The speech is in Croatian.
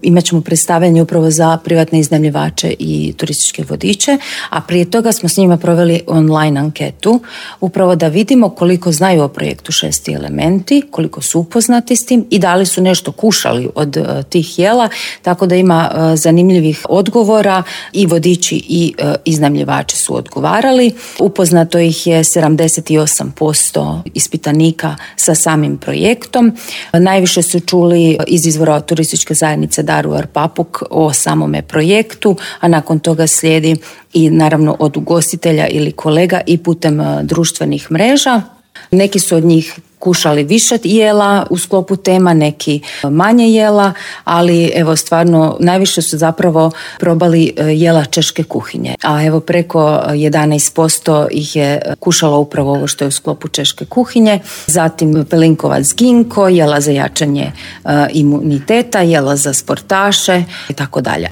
Imat ćemo predstavljanje upravo za privatne iznajmljivače i turističke vodiče, a prije toga smo s njima proveli online anketu, upravo da vidimo koliko znaju o projektu Šesti elementi, koliko su upoznati s tim i da li su nešto kušali od tih jela, tako da ima zanimljivih odgovora i vodiči i iznajmljivači su odgovarali. Upoznato ih je 78% ispitanika sa samim projektom. Najviše su čuli iz izvora turističke zajednice Daruvar Papuk o samome projektu, a nakon toga slijedi i naravno od ugostitelja ili kolega i putem društvenih mreža. Neki su od njih kušali više jela u sklopu tema, neki manje jela, ali evo stvarno najviše su zapravo probali jela češke kuhinje. A evo preko 11% ih je kušalo upravo ovo što je u sklopu češke kuhinje. Zatim pelinkovac ginko, jela za jačanje imuniteta, jela za sportaše i tako dalje.